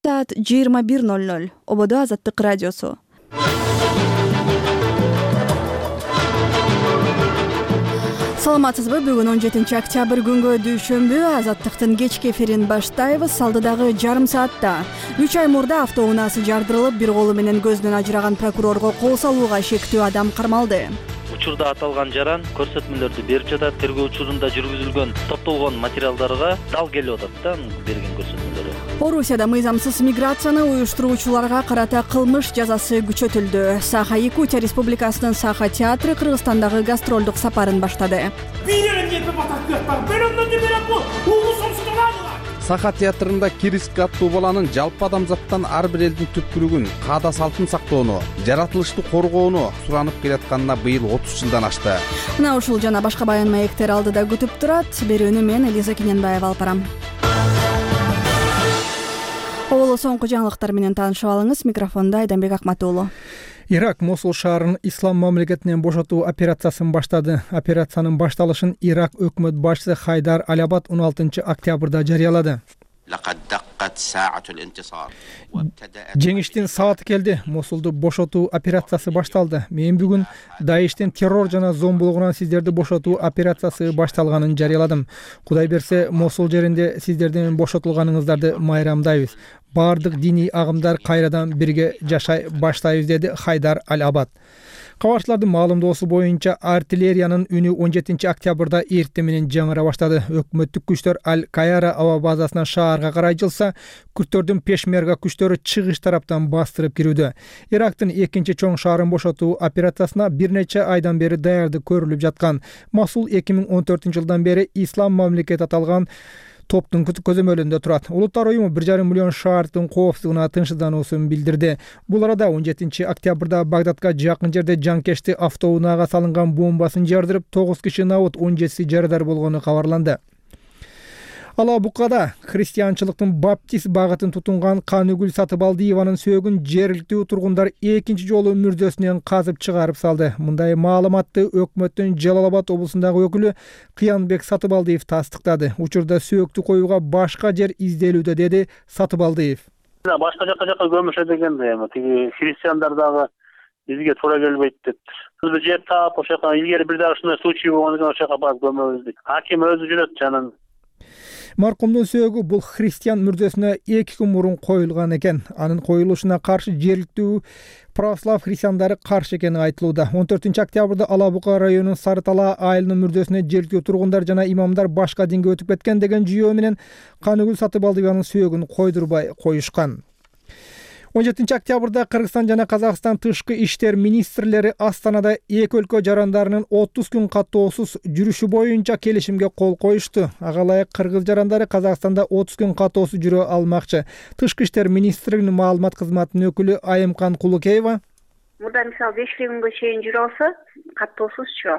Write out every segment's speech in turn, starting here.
Saat 21:00 Ободо Азаттык радиосу. Саламатсызбы? Бүгүн 17 октябрь күнгө дүйшөмбү Азаттыктын кечки эфирин баштайбыз. Алдыдагы жарым саатта 3 ай мурда автоунаасы жардырылып, бир колу менен көздөн ажыраган прокурорго кол салууга шектүү адам кармалды. Учурда аталган жаран көрсөтмөлөрдү берип жатат. Тергөө учурунда жүргүзүлгөн топтолгон материалдарга дал келип атат да берген көрсөтмөлөрү. Орусияда мыйзамсыз миграцияны уюштуруучуларга карата кылмыш жазасы күчөтүлдү. Саха-Якутия Республикасынын Саха театры Кыргызстандагы гастролдук сапарын баштады. Саха театрында Кириск аттуу баланын жалпы адамзаттан ар бир элдин түпкүрүгүн, каада салтын сактоону, жаратылышты коргоону суранып келатканына быйыл 30 жылдан ашты. Мына ушул жана башка баян маектер алдыда күтүп турат. Берүүнү мен Элиза Кененбаева алып барам. Оло соңку жаңылыктар менен таанышып алыңыз. Микрофондо Айданбек Акматуулу. Ирак Мосул шаарын ислам мамлекетинен бошотуу операциясын баштады. Операциянын башталышын Ирак өкмөт башчысы Хайдар Аль-Абад 16 октябрда жарыялады. Жеңиштин сааты келди. Мосулду бошотуу операциясы башталды. Мен бүгүн Даиштин террор жана зомбулугунан сиздерди бошотуу операциясы башталганын жарыяладым. Кудай берсе, Мосул жеринде сиздердин бошотулганыңыздарды майрамдайбыз. Бардык диний агымдар кайрадан бирге жашай баштайбыз, деди Хайдар Аль-Абад. Кабарчылардын маалымдоосу боюнча артиллериянын үнү 17 октябрда эртең менен жаңыра баштады. Өкмөттүк күчтөр Аль-Кайара аба базасынан шаарга карай жылса, күрттөрдүн пешмерга күчтөрү чыгыш тараптан бастырып кирүүдө. Ирактын экинчи чоң шаарын бошотуу операциясына бир нече айдан бери даярдык көрүлүп жаткан. Мосул 2014 жылдан бери ислам мамлекет аталган топтун көзөмөлүндө турат. Улуттар уюму 1,5 миллион шаардын коопсуздугуна тынчсыздануусун билдирди. Бул арада 17 октябрда Багдадка жакын жерде жанкешти автоунаага салынган бомбасын жардырып, 9 киши набыт, 17 жарадар болгону кабарланды. Алабукада христианчылыктын баптист багытын тутунган Каныгүл Сатыбалдиеванын сөөгүн жергиликтүү тургундар экинчи жолу мүрдөсүнөн казып чыгарып салды. Мындай маалыматты өкмөттүн Жалал Абад облусундагы өкүлү Кыянбек Сатыбалдиев тастыктады. Учурда сөөктү коюуга башка жер изделүүдө, деди Сатыбалдиев. Башка жака көмүшө дегенде эми тиги христиандар дагы бизге туура келбейт дептир. Биз жер таап ошол жака илгери бир дагы ушундай случай болгондон кийин ошол жака барып көмөбүз дейт. Аким өзү жүрөт жанын. Маркумдун сөөгү бул христиан мүрдөсүнө 2 күн мурун коюлган экен. Анын коюлушуна каршы жергиликтүү православ христиандары каршы экени айтылууда. 14 октябрда Алабука районунун Сары Талаа айылынын мүрдөсүнө жергиликтүү тургундар жана имамдар башка динге өтүп кеткен деген жүйөө менен Каныгүл Сатыбалдиеванын сөөгүн койдурбай коюшкан. 17 октябрда Кыргызстан жана Казакстан тышкы иштер министрлери Астанада эки өлкө жарандарынын 30 күн каттоосуз жүрүшү боюнча келишимге кол коюшту. Ага ылайык кыргыз жарандары Казакстанда 30 күн каттоосуз жүрө алмакчы. Тышкы иштер министрлигинин маалымат кызматынын өкүлү Айымкан Кулукеева: Мурда мисалы 5 күнгө чейин жүрө алса, каттоосузчу.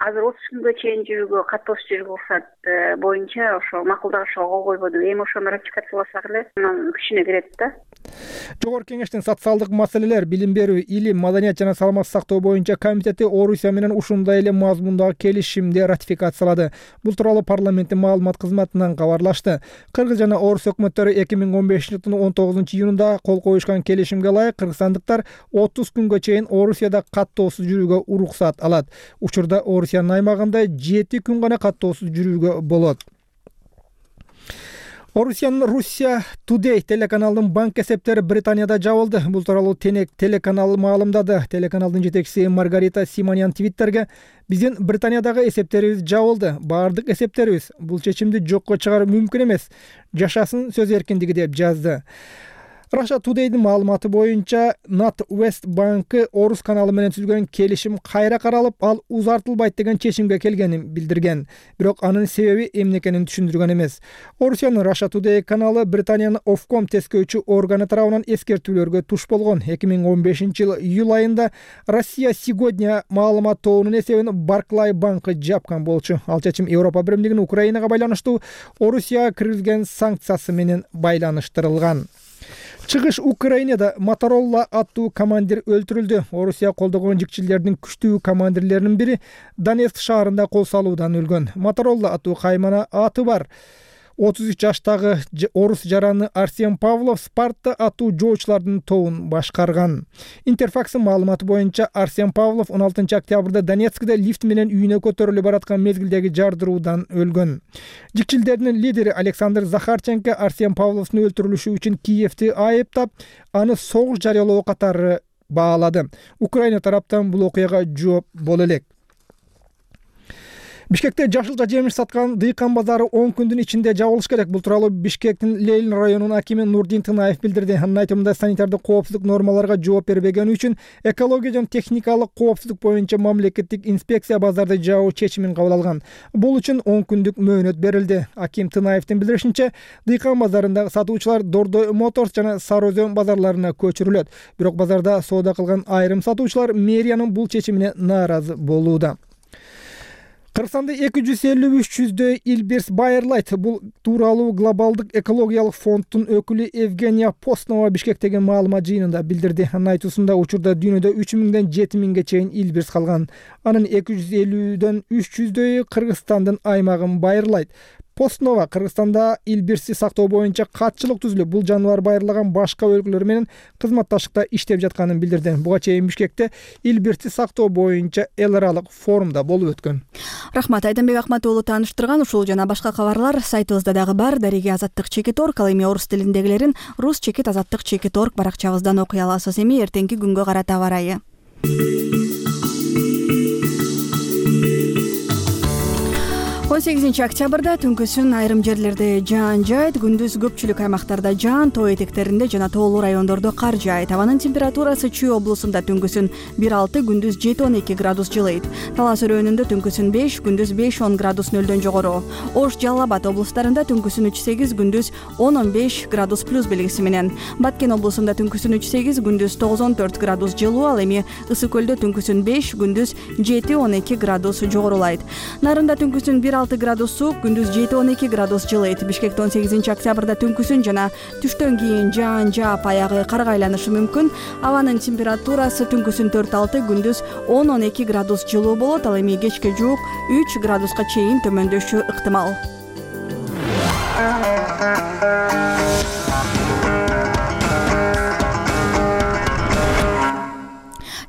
Азыр 30 күнгө чейин жүрүүгө каттоосуз жүрүүгө уруксат боюнча ошо макулдашууга кол койбоду. Эми ошону ратификацияласак эле анын күчүнө кирет да. Жогорку кеңештин социалдык маселелер, билим берүү, илим, маданият жана саламаттык сактоо боюнча комитети Орусия менен ушундай эле мазмундагы келишимди ратификациялады. Бул тууралуу парламенттин маалымат кызматынан кабарлашты. Кыргыз жана Орус өкмөттөрү 2015 жылдын 19 июнунда кол коюшкан келишимге ылайык кыргызстандыктар 30 күнгө чейин Орусияда каттоосуз жүрүүгө уруксат алат. Учурда Орусиянын аймагында 7 күн гана каттоосуз жүрүүгө болот. Орусиянын Russia Today телеканалынын банк эсептери Британияда жабылды. Бул тууралуу телеканал маалымдады. Телеканалдын жетекчиси Маргарита Симоньян Твиттерге: "Биздин Британиядагы эсептерибиз жабылды. Бардык эсептерибиз. Бул чечимди жокко чыгаруу мүмкүн эмес. Жашасын сөз эркиндиги", деп жазды. Russia Today'дин маалыматы боюнча NatWest банкы Орус каналы менен түзүлгөн келишим кайра каралып, ал узартылбайт деген чечимге келгенин билдирген. Бирок анын себеби эмне экенин түшүндүргөн эмес. Орусиянын Russia Today каналы Британиянын Ofcom тескөөчү органы тарабынан эскертүүлөргө туш болгон. 2015 жыл июль айында Россия сегодня маалымат тобунун эсебин Barclays банкы жапкан болчу. Ал чечим Европа биримдигинин Украинага байланыштуу Орусияга киргизген санкциясы менен байланыштырылган. Чыгыш Украинада Моторолла аттуу командир өлтүрүлдү. Орусия колдогон жикчилердин күчтүү командирлеринин бири Донецк шаарында кол салуудан өлгөн. Моторолла аттуу каймана аты бар. 33 жаштагы орус жараны Арсен Павлов Спарта аттуу жоочулардын тобун башкарган. Интерфакстын маалыматы боюнча Арсен Павлов 16 октябрда Донецкте лифт менен үйүнө көтөрүлүп бараткан мезгилдеги жардыруудан өлгөн. Жикчилдердин лидери Александр Захарченко Арсен Павловдун өлтүрүлүшү үчүн Киевти айыптап, аны согуш жарыялоо катары баалады. Украина тараптан бул окуяга жооп боло элек. Бишкекте жашылча жемиш саткан дыйкан базары 10 күндүн ичинде жабылыш керек. Бул тууралуу Бишкектин Лейлин районунун акими Нурдин Тынаев билдирди. Анын айтымында санитардык коопсуздук нормаларга жооп бербегени үчүн экология жана техникалык коопсуздук боюнча мамлекеттик инспекция базарды жабуу чечимин кабыл алган. Бул үчүн 10 күндүк мөөнөт берилди. Аким Тынаевдин билдиришинче, дыйкан базарындагы сатуучулар Дордой Моторс жана Сары Өзөн базарларына көчүрүлөт. Бирок базарда соода кылган айрым сатуучулар мэриянын бул чечимине нааразы болууда. Кыргызстанда 253-чүздөй Илбирс Байерлайт. Бул тууралуу глобалдык экологиялык фонддун өкүлү Евгения Постнова Бишкектеги маалымат жыйынында билдирди. Анын айтуусунда учурда дүйнөдө 3000ден 7000ге чейин Илбирс калган. Анын 250дөн 300дөйү Кыргызстандын аймагын байырлайт. Постнова Кыргызстанда Илбирсти сактоо боюнча катчылык түзүлүп, бул жаныбар байырлаган башка өлкөлөр менен кызматташтыкта иштеп жатканын билдирди. Буга чейин Бишкекте Илбирсти сактоо боюнча эл аралык форумда болуп өткөн. Рахмат, Айдамбек Ахмат уулу тааныштырган ушул жана башка кабарлар сайтыбызда дагы бар. Дареги Азаттык.org, ал эми орус тилиндегилерин rus.azаттык.org баракчабыздан окуй аласыз. Эми эртеңки күнгө карата аба ырайы. 18 октябрда түнкүсүн айрым жерлерде жаан жайт, күндүз көпчүлүк аймактарда жаан, тоо этектеринде жана тоолуу райондордо кар жаайт. Абанын температурасы Чүй облусунда түнкүсүн 1-6, күндүз 7-12 градус жылыйт. Талас өрөөнүндө түнкүсүн 5, күндүз 5-10 градус нөлдөн жогору. Ош, Жалал Абад облустарында түнкүсүн 3-8, күндүз 10-15 градус плюс белгиси менен. Баткен облусунда түнкүсүн 3-8, күндүз 9-14 градус жылуу, ал эми Ысык көлдө түнкүсүн 5, күндүз 7-12 градус жогорулайт. Нарында түнкүсүн 1-6 градус суук, күндүз 7-12 градус жылыйт. Бишкекте 18 октябрда түнкүсүн жана түштөн кийин жаан жаап аягы карга айланышы мүмкүн. Абанын температурасы түнкүсүн 4-6, күндүз 10-12 градус жылуу болот, ал эми кечке жуук 3 градуска чейин төмөндөшү ыктымал.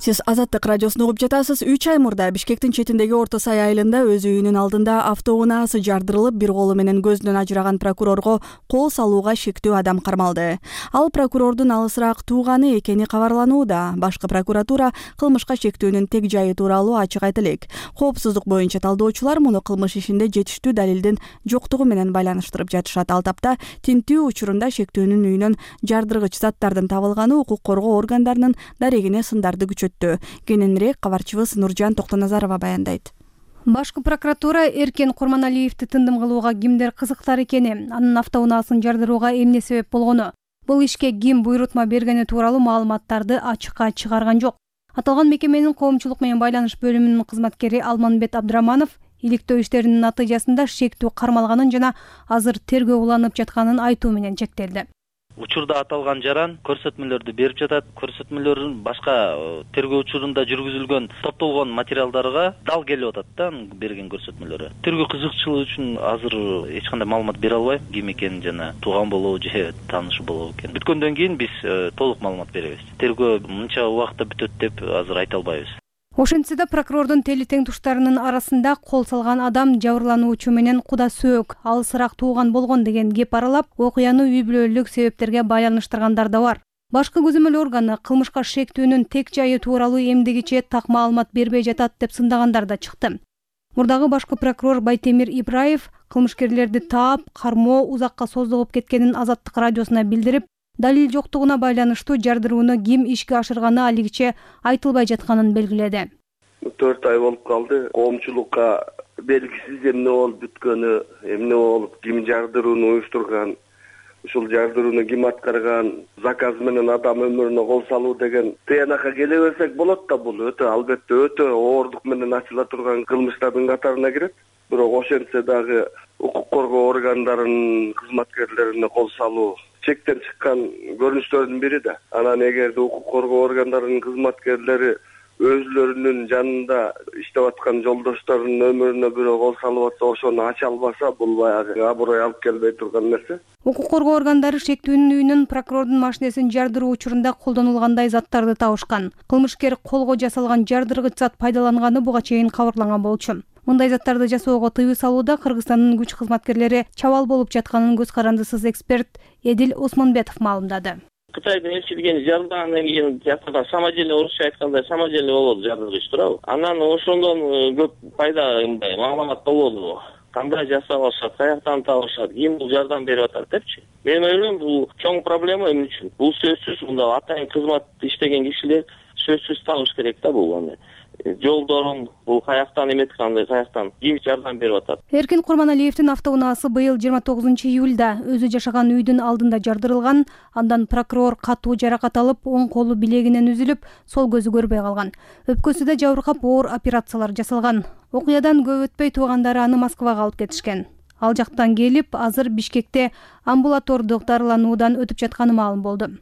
Сиз Азаттык радиосун угуп жатасыз. 3 ай мурда Бишкектин четиндеги Орто Сай айылында өз үйүнүн алдында автоунаасы жардырылып, бир колу менен көздөн ажыраган прокурорго кол салууга шектүү адам кармалды. Ал прокурордун алысыраак тууганы экени кабарланууда. Башкы прокуратура кылмышка шектүүнүн тег жайы тууралуу ачык айта элек. Коопсуздук боюнча талдоочулар муну кылмыш ишинде жетиштүү далилдин жоктугу менен байланыштырып жатышат. Ал тапта тинтүү учурунда шектүүнүн үйүнөн жардыргыч заттардын табылганы укук коргоо органдарынын дарегине сындарды күчөттү. Кененирээк кабарчыбыз Нуржан Токтоназарова баяндайт. Башкы прокуратура Эркен Курманалиевди тындым кылууга кимдер кызыктар экени, анын автоунаасын жардырууга эмне себеп болгону, бул ишке ким буйрутма бергени тууралуу маалыматтарды ачыкка чыгарган жок. Аталган мекеменин коомчулук менен байланыш бөлүмүнүн кызматкери Алманбет Абдыраманов иликтөө иштеринин натыйжасында шектүү кармалганын жана азыр тергөө уланып жатканын айтуу менен чектелди. Учурда аталган жаран көрсөтмөлөрдү берип жатат. Көрсөтмөлөрдүн башка тергөө учурунда жүргүзүлгөн топтолгон материалдарга дал келип атат да берген көрсөтмөлөрү. Тергөө кызыкчылыгы үчүн азыр эч кандай маалымат бере албайм, ким экенин жана тууган болобу же таанышы болобу экен. Бүткөндөн кийин биз толук маалымат беребиз. Тергөө мынча убакытта бүтөт деп азыр айта албайбыз. Ошентсе да прокурордун тели тең туштарынын арасында кол салган адам жабырлануучу менен куда сөөк, алысыраак тууган болгон деген кеп аралап, окуяны үй бүлөлүк себептерге байланыштыргандар да бар. Башкы көзөмөл органы кылмышка шектүүнүн тег жайы тууралуу эмдигиче так маалымат бербей жатат деп сындагандар да чыкты. Мурдагы башкы прокурор Байтемир Ибраев кылмышкерлерди таап, кармоо узакка созулуп кеткенин Азаттык радиосуна билдирип, далил жоктугуна байланыштуу жардырууну ким ишке ашырганы алигиче айтылбай жатканын белгиледи. 4 ай болуп калды. Коомчулукка белгисиз эмне болуп бүткөнү, эмне болуп, ким жардырууну уюштурган, ушул жардырууну ким аткарган, заказ менен адам өмүрүнө кол салуу деген тыянакка келе берсек болот да, бул албетте өтө оордук менен ачыла турган кылмыштардын катарына кирет. Бирок ошентсе дагы укук коргоо органдарынын кызматкерлерине кол салуу чектен чыккан көрүнүштөрдүн бири да. Анан эгерде укук коргоо органдарынын кызматкерлери өзлөрүнүн жанында иштеп аткан жолдошторунун өмүрүнө бирөө кол салып атса, ошону ача албаса, бул баягы аброй алып келбей турган нерсе. Укук коргоо органдары шектүүнүн үйүнөн прокурордун машинесин жардыруу учурунда колдонулгандай заттарды табышкан. Кылмышкер колго жасалган жардыргыч зат пайдаланганы буга чейин кабарланган болчу. Мындай заттарды жасоого тыюу салууда Кыргызстандын күч кызматкерлери чабал болуп жатканын көз карандысыз эксперт Эдил Осмонбетов маалымдады. Кытайдын элчилигин жардыргандан кийин жакында самоделие, орусча айтканда самоделие болот жардыргыч туурабы. Анан ошондон көп пайда мындай маалымат болоду. Кандай жасап алышат, каяктан табышат, ким бул жардам берип атат депчи. Мен ойлойм, бул чоң проблема эмне үчүн? Бул сөзсүз мында атайын кызмат иштеген кишилер сөзсүз табыш керек да бул аны. Жолдорун бул каяктан эметкандай, каяктан ким жардам берип атат. Эркин Курманалиевдин автоунаасы быйыл 29-июлда өзү жашаган үйдүн алдында жардырылган. Андан прокурор катуу жаракат алып, оң колу билегинен үзүлүп, сол көзү көрбөй калган. Өпкөсү да жабыркап оор операциялар жасалган. Окуядан көп өтпөй туугандары аны Москвага алып кетишкен. Ал жактан келип, азыр Бишкекте амбулатордук дарылануудан өтүп жатканы маалым болду.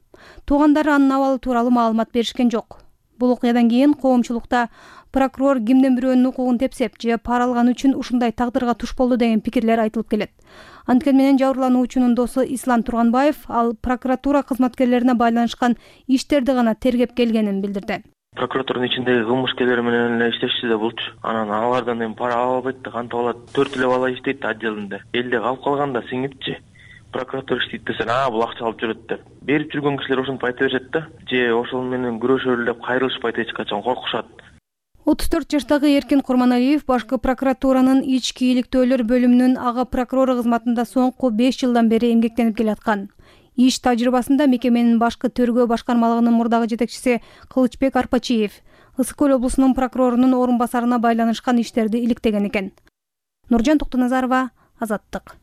Туугандары анын абалы тууралуу маалымат беришкен жок. Бул окуядан кийин коомчулукта прокурор кимдин бирөөнүн укугун тепсеп же пара алган үчүн ушундай тагдырга туш болду деген пикирлер айтылып келет. Анткени менен жабырлануучунун досу Ислам Турганбаев ал прокуратура кызматкерлерине байланышкан иштерди гана тергеп келгенин билдирди. Прокуратуранын ичиндеги кылмышкерлер менен эле иштешчү да болчу. Анан алардан эми пара ала албайт да, кантип алат? 4 эле бала иштейт отделинде. Элде калып калганда сиңипчи. Прокуратура иштейт десең, бул акча алып жүрөт деп. Берип жүргөн кишилер ошентип айта беришет да. Же ошол менен күрөшөлү деп кайрылышпайт, эч качан коркушат. 34 жаштагы Эркин Курманалиев башкы прокуратуранын ички ийгиликтөөлөр бөлүмүнүн ага прокурору кызматында соңку 5 жылдан бери эмгектенип келаткан. Иш тажрыйбасында мекеменин башкы тергөө башкармалыгынын мурдагы жетекчиси Кылычбек Арпачиев Ысык Көл облусунун прокурорунун орун басарына байланышкан иштерди иликтеген экен. Нуржан Токтоназарова, Азаттык.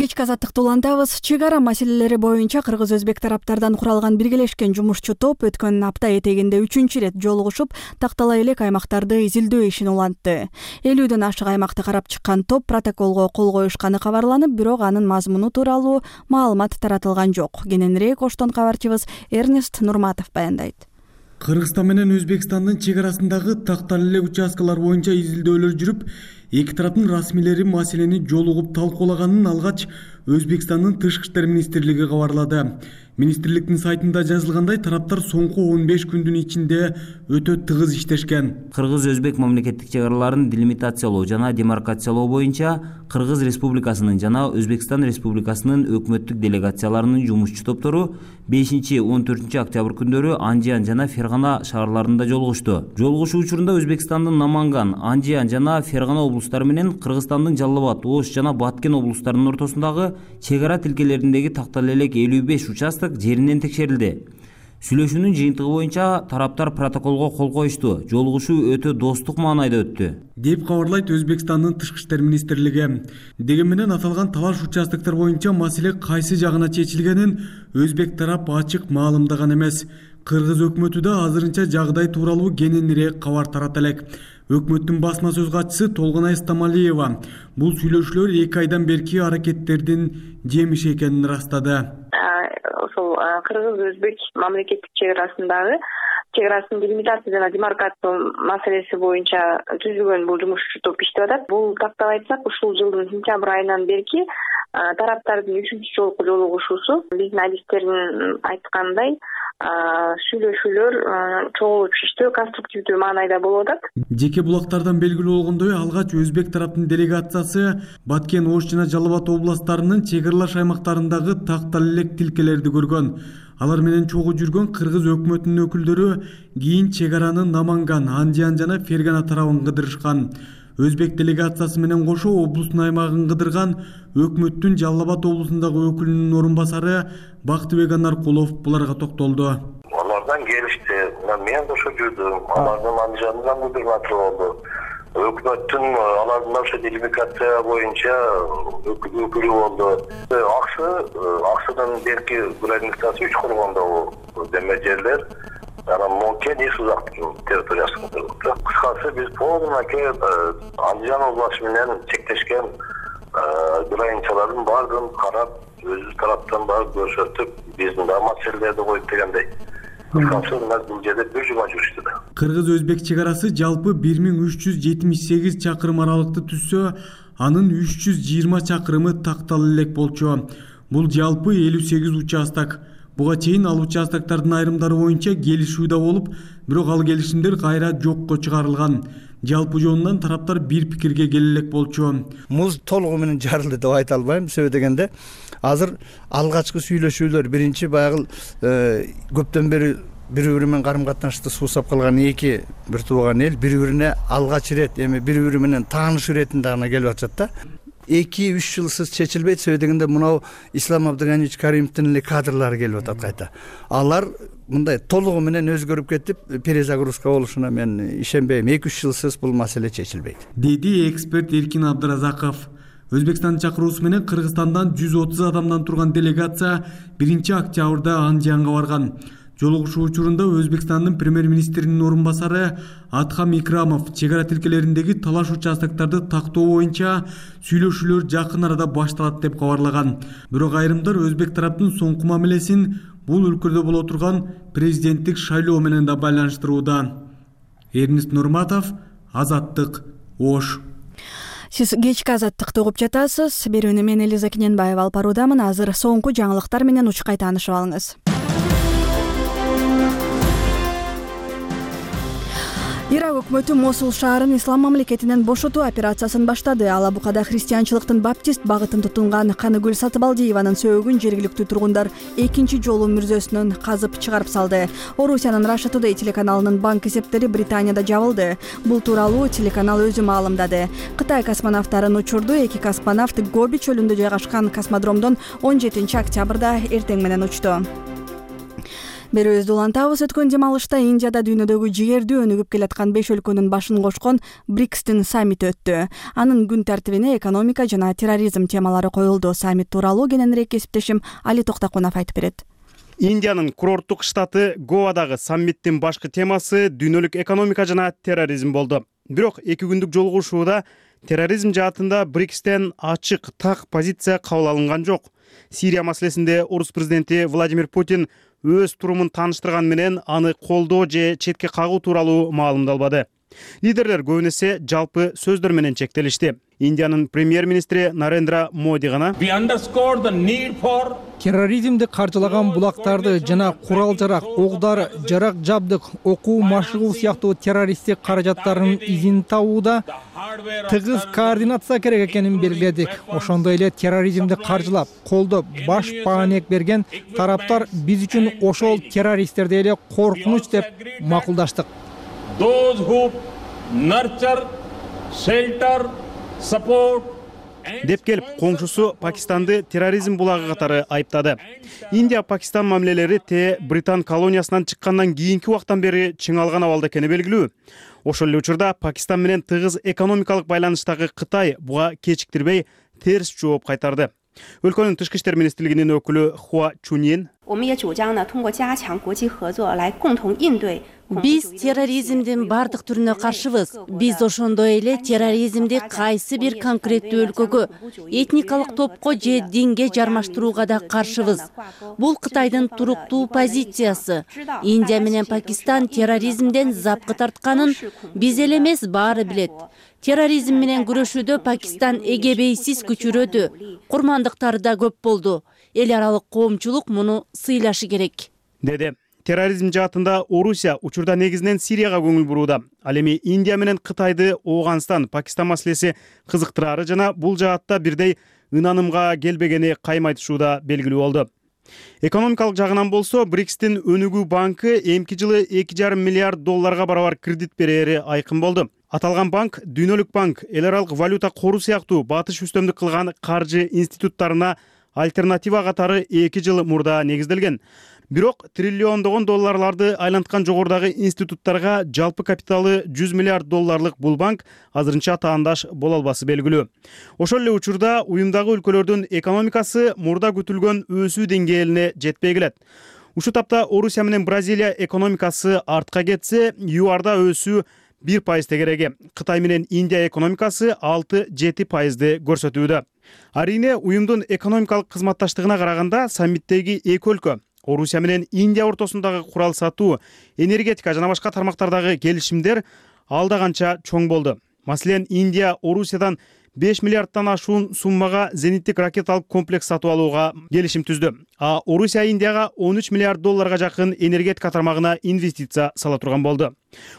Кечки Азаттыкты улантабыз. Чек ара маселелери боюнча кыргыз-өзбек тараптардан куралган биргелешкен жумушчу топ өткөн апта этегинде 3-чү ирет жолугушуп, тактала элек аймактарды изилдөө ишин улантты. 50дөн ашык аймакты карап чыккан топ протоколго кол коюшканы кабарланып, бирок анын мазмуну тууралуу маалымат таратылган жок. Кененирээк Оштон кабарчыбыз Эрнест Нурматов баяндайт. Кыргызстан менен Өзбекстандын чек арасындагы тактала элек участкалар боюнча изилдөөлөр жүрүп, эки тараптын расмийлери маселени жолугуп талкуулаганын алгач Өзбекстандын Тышкы иштер министрлиги кабарлады. Министрликтин сайтында жазылгандай, тараптар соңку 15 күндүн ичинде өтө тыгыз иштешкен. Кыргыз-Өзбек мамлекеттик чек араларын делимитациялоо жана демаркациялоо боюнча Кыргыз Республикасынын жана Өзбекстан Республикасынын өкмөттүк делегацияларынын жумушчу топтору 5-14 октябрь күндөрү Анжиан жана Фергана шаарларында жолугушту. Жолугушуу учурунда Өзбекстандын Наманган, Анжиан жана Фергана облустары менен Кыргызстандын Жалал Абад, Ош жана Баткен облустарынын ортосундагы чек ара тилкелериндеги тактала элек 55 участок жеринен текшерилди. Сүйлөшүүнүн жыйынтыгы боюнча тараптар протоколго кол коюшту. Жолугушуу өтө достук маанайда өттү, деп кабарлайт Өзбекстандын Тышкы иштер министрлиги. Дегени менен аталган талаш участоктор боюнча маселе кайсы жагына чечилгенин өзбек тарап ачык маалымдаган эмес. Кыргыз өкмөтү да азырынча жагдай тууралуу кененирээк кабар тарата элек. Өкмөттүн басма сөз катчысы Толгонай Стамалиева бул сүйлөшүүлөр 2 айдан берки аракеттердин жемиши экенин ырастады. Ошол кыргыз-өзбек мамлекеттик чек арасындагы чек арасын делимитация жана демаркация маселеси боюнча түзүлгөн бул жумушчу топ иштеп атат. Бул тактап айтсак, ушул жылдын сентябрь айынан берки тараптардын 3-чү жолку жолугушуусу биздин адистердин айткандай сүйлөшүүлөр чогулуп иштөө конструктивдүү маанайда болуп атат. Жеке булактардан белгилүү болгондой, алгач өзбек тараптын делегациясы Баткен, Ош жана Жалал Абад областарынын чек аралаш аймактарындагы тактала элек тилкелерди көргөн. Алар менен чогуу жүргөн кыргыз өкмөтүнүн өкүлдөрү кийин чек араны Наманган, Анжиан жана Фергана тарабын кыдырышкан. Өзбек делегациясы менен кошо облустун аймагын кыдырган өкмөттүн Жалал Абад облусундагы өкүлүнүн орун басары Бактыбек Анаркулов буларга токтолду. Алардан келишти, мен кошо жүрдүм, алардын Анжиандан кыдырган болду. Өкмөттүн алардын ошо делимитация боюнча өкүлү болду. Аксыдан берки границасы 3 кургондогу деме жерлер анан Монкен эс узактын территориясында турат. Кыскасы биз полный Анжиан областы менен чектешкен границалардын баардыгын карап, өзүбүз тараптан барып көрсөтүп, биздин да маселелерди коюп дегендей. Бул жерде бир жума жүрүштү да. Кыргыз-өзбек чек арасы жалпы 1378 чакырым аралыкты түзсө, анын 320 чакырымы тактала элек болчу. Бул жалпы 58 участок. Буга чейин ал участоктардын айрымдары боюнча келишүү да болуп, бирок ал келишимдер кайра жокко чыгарылган. Жалпы жонунан тараптар бир пикирге келе элек болчу. Муз толугу менен жарылды деп айта албайм. Себеби дегенде азыр алгачкы сүйлөшүүлөр биринчи баягы көптөн бери бири-бири менен карым-катнашты суусап калган эки бир тууган эл бири-бирине алгач ирет эми бири-бири менен тааныш иретинде гана келип атышат да. 2-3 жылсыз чечилбейт. Себеби дегенде мынау Ислам Абдыганиевич Каримовдун эле кадрлары келип атат кайта. Алар мындай толугу менен өзгөрүп кетип, перезагрузка болушуна мен ишенбейм. 2-3 жылсыз бул маселе чечилбейт, деди эксперт Эркин Абдыразаков. Өзбекстандын чакыруусу менен Кыргызстандан 130 адамдан турган делегация 1-октябрда Анжиянга барган. Жолугушуу учурунда Өзбекстандын премьер-министринин орун басары Атхам Икрамов чек ара тилкелериндеги талаш участоктарды тактоо боюнча сүйлөшүүлөр жакын арада башталат деп кабарлаган. Бирок айрымдар өзбек тараптын соңку мамилесин бул өлкөдө боло турган президенттик шайлоо менен да байланыштырууда. Эрнест Нурматов, Азаттык, Ош. Сиз кечки Азаттыкты угуп жатасыз. Берүүнү мен Элиза Кененбаева алып баруудамын. Азыр соңку жаңылыктар менен учкай таанышып алыңыз. Ирак өкмөтү Мосул шаарын ислам мамлекетинен бошотуу операциясын баштады. Алабукада христианчылыктын баптист багытын тутунган Каныгүл Сатыбалдиеванын сөөгүн жергиликтүү тургундар экинчи жолу мүрзөсүнөн казып чыгарып салды. Орусиянын Russia Today телеканалынын банк эсептери Британияда жабылды. Бул тууралуу телеканал өзү маалымдады. Кытай космонавттарын учурду. Эки космонавт Гоби чөлүндө жайгашкан космодромдон 17 октябрда эртең менен учту. Берүүбүздү улантабыз. Өткөн дем алышта Индияда дүйнөдөгү жигердүү өнүгүп келаткан 5 өлкөнүн башын кошкон БРИКСтин саммити өттү. Анын күн тартибине экономика жана терроризм темалары коюлду. Саммит тууралуу кененирээк кесиптешим Али Токтакунов айтып берет. Индиянын курорттук штаты Гоадагы саммиттин башкы темасы дүйнөлүк экономика жана терроризм болду. Бирок 2 күндүк жолугушууда терроризм жаатында БРИКСтен ачык так позиция кабыл алынган жок. Сирия маселесинде орус президенти Владимир Путин өз турумун тааныштырган менен аны колдоо же четке кагуу тууралуу маалымдалбады. Лидерлер көбүнесе жалпы сөздөр менен чектелишти. Индиянын премьер-министри Нарендра Моди гана терроризмди каржылаган булактарды жана курал-жарак, ок-дары, жарак жабдык, окуу машыгуу сыяктуу террористтик каражаттардын изин табууда тыгыз координация керек экенин белгиледик. Ошондой эле терроризмди каржылап, колдоп, баш баанек берген тараптар биз үчүн ошол террористтерди эле коркунуч деп макулдаштык. деп келип коңшусу Пакистанды терроризм булагы катары айыптады. Индия-Пакистан мамилелери Британ колониясынан чыккандан кийинки убактан бери чыңалган абалда экени белгилүү. Ошол эле учурда Пакистан менен тыгыз экономикалык байланыштагы Кытай буга кечиктирбей терс жооп кайтарды. Өлкөнүн тышкы иштер министрлигинин өкүлү Хуа Чуньин биз терроризмдин бардык түрүнө каршыбыз. Биз ошондой эле терроризмди кайсы бир конкреттүү өлкөгө, этникалык топко же динге жармаштырууга да каршыбыз. Бул Кытайдын туруктуу позициясы. Индия менен Пакистан терроризмден запкы тартканын биз эле эмес баары билет. Терроризм менен күрөшүүдө Пакистан эгебейсиз күчүрөдү. Курмандыктары да көп болду. Эл аралык коомчулук муну сыйлашы керек, деди. Терроризм жаатында Орусия учурда негизинен Сирияга көңүл бурууда. Ал эми Индия менен Кытайды Ооганстан, Пакистан маселеси кызыктырары жана бул жаатта бирдей ынанымга келбегени кайым айтышууда белгилүү болду. Экономикалык жагынан болсо, БРИКСтин өнүгүү банкы эмки жылы 2,5 миллиард долларга барабар кредит берери айкын болду. Аталган банк дүйнөлүк банк, эл аралык валюта кору сыяктуу батыш үстөмдүк кылган каржы институттарына альтернатива катары 2 жыл мурда негизделген. Бирок триллиондогон долларларды айланткан жогорудагы институттарга жалпы капиталы 100 миллиард долларлык бул банк азырынча таандаш боло албасы белгилүү. Ошол эле учурда уюмдагы өлкөлөрдүн экономикасы мурда күтүлгөн өсүү деңгээлине жетпей келет. Ушул тапта Орусия менен Бразилия экономикасы артка кетсе, ЮАРда өсүү 1% тегереги. Кытай менен Индия экономикасы 6-7% көрсөтүүдө. Арийне уюмдун экономикалык кызматташтыгына караганда саммиттеги эки өлкө Орусия менен Индия ортосундагы курал сатуу, энергетика жана башка тармактардагы келишимдер алда канча чоң болду. Маселен, Индия Орусиядан 5 миллиардтан ашуун суммага зениттик ракеталык комплекс сатып алууга келишим түздү. А Орусия Индияга 13 миллиард долларга жакын энергетика тармагына инвестиция сала турган болду.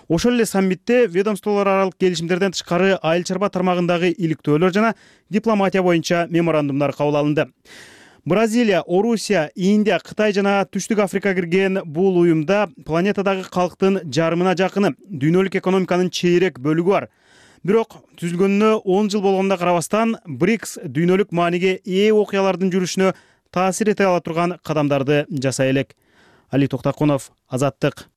Ошол эле саммитте ведомстволор аралык келишимдерден тышкары айыл чарба тармагындагы иликтөөлөр жана дипломатия боюнча меморандумдар кабыл алынды. Бразилия, Орусия, Индия, Кытай жана Түштүк Африка кирген бул уюмда планетадагы калктын жарымына жакыны, дүйнөлүк экономиканын чейрек бөлүгү бар. Бирок түзүлгөнүнө 10 жыл болгонуна карабастан, БРИКС дүйнөлүк мааниге ээ окуялардын жүрүшүнө таасир эте ала турган кадамдарды жасай элек. Али Токтакунов, Азаттык.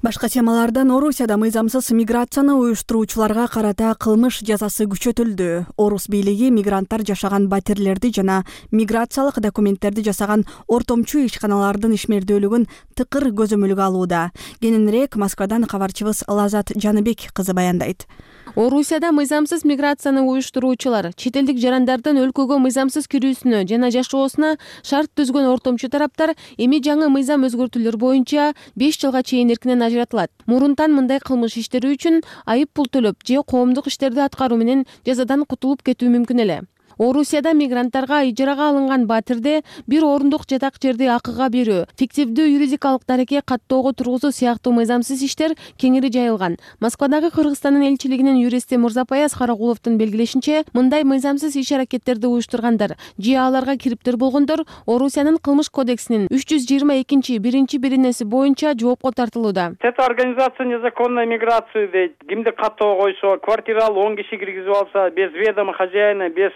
Башка темалардан Орусияда мыйзамсыз миграцияны уюштуруучуларга карата кылмыш жазасы күчөтүлдү. Орус бийлиги мигранттар жашаган батирлерди жана миграциялык документтерди жасаган ортомчу ишканалардын ишмердүүлүгүн тыкыр көзөмөлгө алууда. Кененирээк Москвадан кабарчыбыз Лазат Жаныбек кызы баяндайт. Орусияда мыйзамсыз миграцияны уюштуруучулар чет элдик жарандардын өлкөгө мыйзамсыз кирүүсүнө жана жашоосуна шарт түзгөн ортомчу тараптар эми жаңы мыйзам өзгөртүүлөр боюнча 5 жылга чейин эркинен ажыратылат. Мурунтан мындай кылмыш иштери үчүн айып пул төлөп же коомдук иштерди аткаруу менен жазадан кутулуп кетүү мүмкүн эле. Орусияда мигранттарга ижарага алынган батирде бир орундук жатак жерди акыга берүү, фиктивдүү юридикалык дареке каттоого тургузуу сыяктуу мыйзамсыз иштер кеңири жайылган. Москвадагы Кыргызстандын элчилигинин юристи Мурзапаяз Карагуловдун белгилешинче, мындай мыйзамсыз иш-аракеттерди уюштургандар же аларга кириптер болгондор Орусиянын кылмыш кодексинин 322-1-биринеси боюнча жоопко тартылууда. Это организация незаконной миграции дейт. Кимди каттоого койсо, квартиралуу 10 киши киргизип алса, без ведома хозяина, без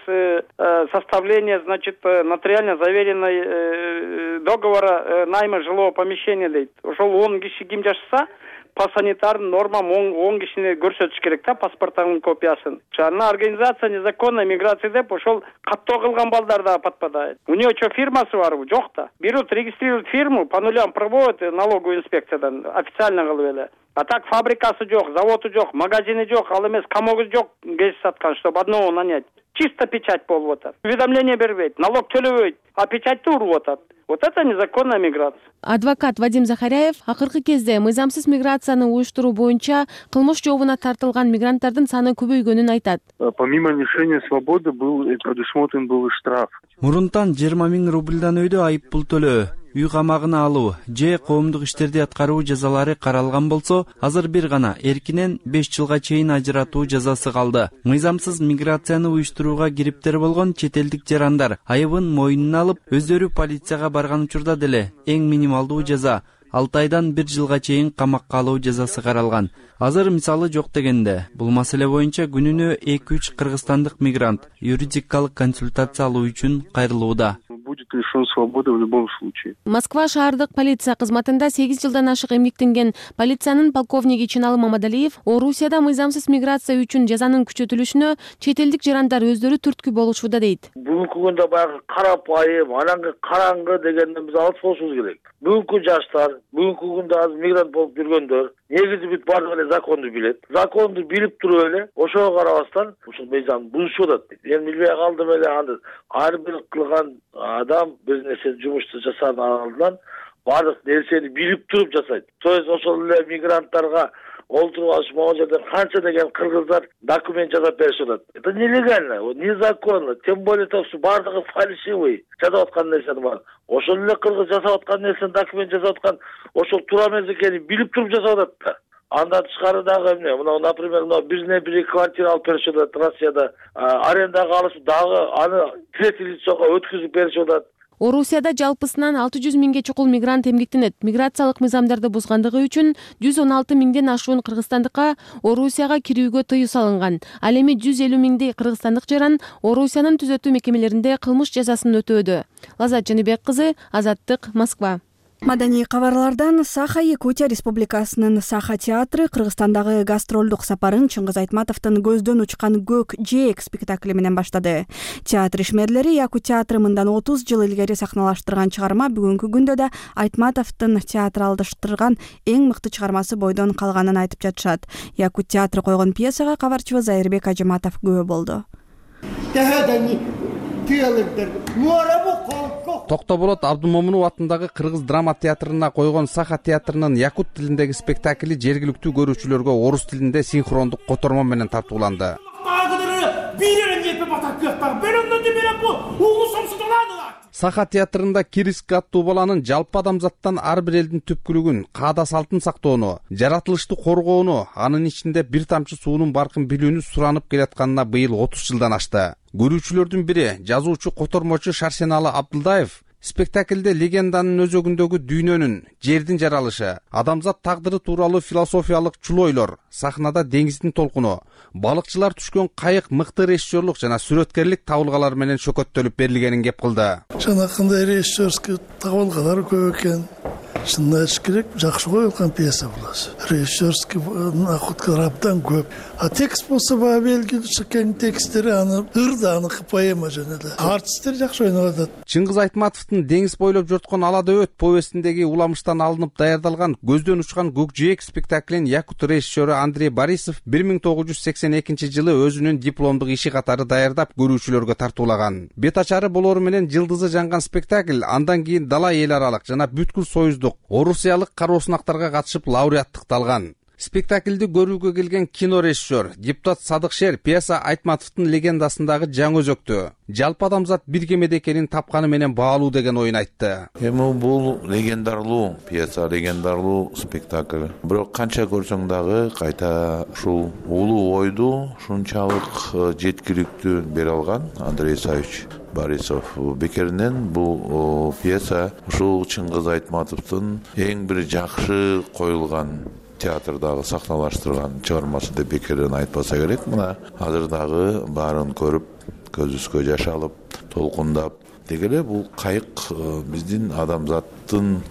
составления, значит, нотариально заверенной договора найма жилого помещения дейт. Ошол 10 киши ким жашаса, по санитарным нормам 10 кишини көрсөтүш керек да, паспортунун копиясын. Ана организация незаконной миграции деп ошол каттоо кылган балдар да подпадает. У него что, фирмасы барбы? Жок да. Берут, регистрируют фирму, по нулям проводят налоговую инспекциядан, официально кылып эле. А так фабрикасы жок, заводу жок, магазини жок, ал эмес комогу жок, кеш саткан, чтобы одного нанять. Чисто печать болуп атат. Уведомление бербейт, налог төлөбөйт, а печатьты уруп атат. Вот это незаконная миграция. Адвокат Вадим Захаряев акыркы кезде мыйзамсыз миграцияны уюштуруу боюнча кылмыш жообуна тартылган мигранттардын саны көбөйгөнүн айтат. Помимо лишения свободы предусмотрен был штраф. Мурунтан 20 000 рубльдан өйдө айып пул төлөө, үй камагына алуу же коомдук иштерди аткаруу жазалары каралган болсо, азыр бир гана эркинен 5 жылга чейин ажыратуу жазасы калды. Мыйзамсыз миграцияны уюштурууга кириптер болгон чет элдик жарандар айыбын мойнуна алып, өздөрү полицияга барган учурда деле эң минималдуу жаза 6 айдан 1 жылга чейин камакка алуу жазасы каралган. Азыр мисалы жок дегенде, бул маселе боюнча күнүнө 2-3 кыргызстандык мигрант юридикалык консультация алуу үчүн кайрылууда. Будет лишен свободы в любом случае. Москва шаардык полиция кызматында 8 жылдан ашык эмгектенген полициянын полковниги Чыналы Мамадалиев Орусияда мыйзамсыз миграция үчүн жазанын күчөтүлүшүнө чет элдик жарандар өздөрү түрткү болушууда дейт. Бүгүнкү күндө баягы карапайым, анан караңгы дегенден биз алыс болушубуз керек. Бүгүнкү жаштар, бүгүнкү күндө азыр мигрант болуп жүргөндөр негизи бүт баардыгы эле законду билет. Законду билип туруп эле ошого карабастан ушул мыйзамды бузушуп атат. Мен билбей калдым эле аны. Ар бир кылган адам бир нерсе жумушту жасагандан алдынан баардык нерсени билип туруп жасайт. То есть ошол эле мигранттарга олтуруп могул жерден канча деген кыргыздар документ жасап беришип атат. Это нелегально, незаконно. Тем более баардыгы фальшивый жасап аткан нерсени бар. Ошол эле кыргыз жасап аткан нерсени документ жасап аткан ошол туура эмес экенин билип туруп жасап атат да. Андан тышкары дагы эмне? Мына, например, бир квартира алып беришип атат Россияда. Арендага алышып дагы аны третий лицого өткүзүп беришип атат. Орусияда жалпысынан 600 миңге чукул мигрант эмгектенет. Миграциялык мыйзамдарды бузгандыгы үчүн 116 миңден ашуун кыргызстандыкка Орусияга кирүүгө тыюу салынган. Ал эми 150 миңдей кыргызстандык жаран Орусиянын түзөтүү мекемелеринде кылмыш жазасын өтөөдө. Лазат Жаныбек кызы, Азаттык, Москва. Маданий кабарлардан Саха Якутия Республикасынын Саха театры Кыргызстандагы гастролдук сапарын Чыңгыз Айтматовдун көздөн учкан көк жээк спектакли менен баштады. Театр ишмерлери Якут театры мындан 30 жыл илгери сахналаштырган чыгарма бүгүнкү күндө да Айтматовдун театралдаштырган эң мыкты чыгармасы бойдон калганын айтып жатышат. Якут театры койгон пьесага кабарчыбыз Айырбек Ажыматов күбө болду. Токтоболот Абдумомунов атындагы Кыргыз драма театрына койгон Саха театрынын якут тилиндеги спектакли жергиликтүү көрүүчүлөргө орус тилинде синхрондук котормо менен тартууланды. Саха театрында Кириск аттуу баланын жалпы адамзаттан ар бир элдин түпкүлүгүн, каада салтын сактоону, жаратылышты коргоону, анын ичинде бир тамчы суунун баркын билүүнү суранып келатканына быйыл 30 жылдан ашты. Көрүүчүлөрдүн бири, жазуучу котормочу Шарсеналы Абдылдаев спектаклде легенданын өзөгүндөгү дүйнөнүн, жердин жаралышы, адамзат тагдыры тууралуу философиялык чулойлор, сахнада деңиздин толкуну, балыкчылар түшкөн кайык мыкты режиссерлук жана сүрөткерлик табылгалар менен шөкөттөлүп берилгенин кеп кылды. Жанакындай режиссерский табылгалар көп экен. Шынын айтыш керек, жакшы коюлган пьеса буласы. Режиссерский находкалар абдан көп. А текст болсо баа белгилүү чыккан тексттери аны ырда аныкы поэма жана эле. Артисттер жакшы ойноп атат. Чыңгыз Айтматовдун Деңиз бойлоп жоткон ала дөбөт повестиндеги уламыштан алынып даярдалган көздөн учкан көк жээк спектаклин якут режиссеру Андрей Борисов 1982 жылы өзүнүн дипломдук иши катары даярдап көрүүчүлөргө тартуулаган. Бет ачары болору менен жылдызы жанган спектакль андан кийин дала эл аралык жана бүткүл союздук орусиялык кароосунактарга катышып лауреаттыкты алган. Спектаклди көрүүгө келген кино режиссер, депутат Садыкшер пьеса Айтматовдун легендасындагы жаңы өзөктү, жалпы адамзат бир кемеде экенин тапканы менен баалуу деген оюн айтты. Бул легендарлуу пьеса, легендарлуу спектакль. Бирок канча көрсөң дагы кайта ушул улуу ойду ушунчалык жеткиликтүү бере алган Андрей Исаевич Борисов. Бекеринен бул пьеса ушул Чыңгыз Айтматовдун эң бир жакшы коюлган театрдагы сахналаштырган чыгармасы деп бекерден айтпаса керек. Мына азыр дагы баарын көрүп, көзүбүзгө жаш алып, толкундап дегеле бул кайык биздин адамзаттын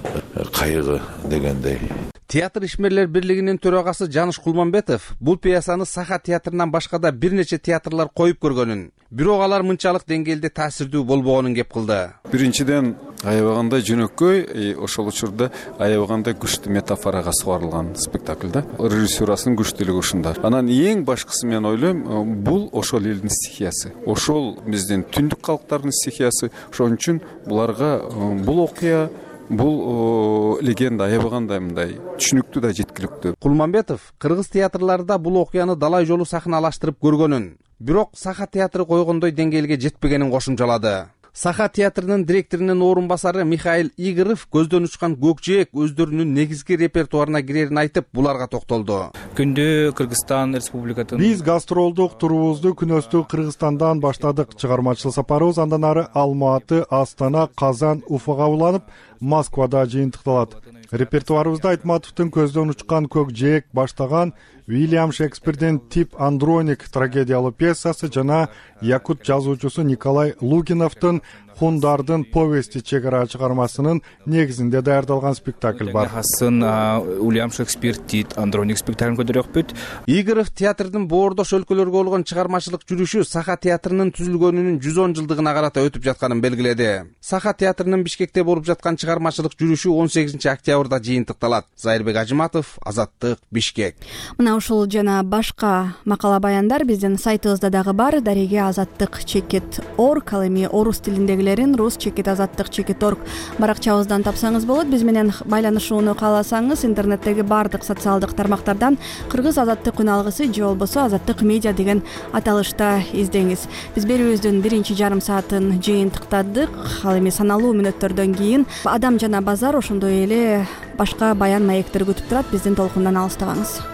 кайыгы дегендей. Театр ишмерлер бирлигинин төрагасы Жаныш Кулманбетов бул пьесаны Саха театрынан башка да бир нече театрлар коюп көргөнүн, бирок алар мынчалык деңгээлде таасирдүү болбогонун кеп кылды. Биринчиден аябагандай жөнөкөй, ошол учурда аябагандай күчтүү метафорага сугарылган спектакль да. Режиссурасынын күчтүүлүгү ушунда. Анан эң башкысы мен ойлойм, бул ошол элдин стихиясы. Ошол биздин түндүк калктардын стихиясы. Ошон үчүн буларга бул окуя, бул легенда аябагандай мындай түшүнүктүү да жеткиликтүү. Кулманбетов кыргыз театрларында бул окуяны далай жолу сахналаштырып көргөнүн, бирок Саха театры койгондой деңгээлге жетпегенин кошумчалады. Саха театрынын директорунун орун басары Михаил Игорев көздөн учкан көк жээк өздөрүнүн негизги репертуарына кирерин айтып, буларга токтолду. Күндү Кыргызстан Республикатын биз гастролдук турубузду күнөстү Кыргызстандан баштадык. Чыгармачылык сапарыбыз андан ары Алматы, Астана, Казан, Уфага уланып, Москвада жыйынтыкталат. Репертуарыбызда Айтматовдун көздөн учкан көк жээк баштаган Уильям Шекспирдин Тип Андроник трагедиялуу пьесасы жана якут жазуучусу Николай Лукиновдун Хундардын повести чегара чыгармасынын негизинде даярдалган спектакль бар. Уильям Шекспир Тип Андроник спектаклин көтөрөкпүт. Игорев театрдын боордош өлкөлөргө болгон чыгармачылык жүрүшү Саха театрынын түзүлгөнүнүн 110 жылдыгына карата өтүп жатканын белгиледи. Саха театрынын Бишкекте болуп жаткан чыгармачылык жүрүшү 18 октябрда жыйынтыкталат. Айырбек Ажыматов, Азаттык, Бишкек. Мына ушул жана башка макала баяндар биздин сайтыбызда дагы бар. Дареге azattik.org, ал эми орус тилиндегилерин rus.azattik.org баракчабыздан тапсаңыз болот. Биз менен байланышууну кааласаңыз интернеттеги бардык социалдык тармактардан Кыргыз Азаттык күн алгысы же болбосо Азаттык медиа деген аталышта издеңиз. Биз берүүбүздүн биринчи жарым саатын жыйынтыктадык. Ал эми саналуу мүнөттөрдөн кийин Адам жана базар ошондой эле башка баян маектер күтүп турат. Биздин толкундан алыстабаңыз.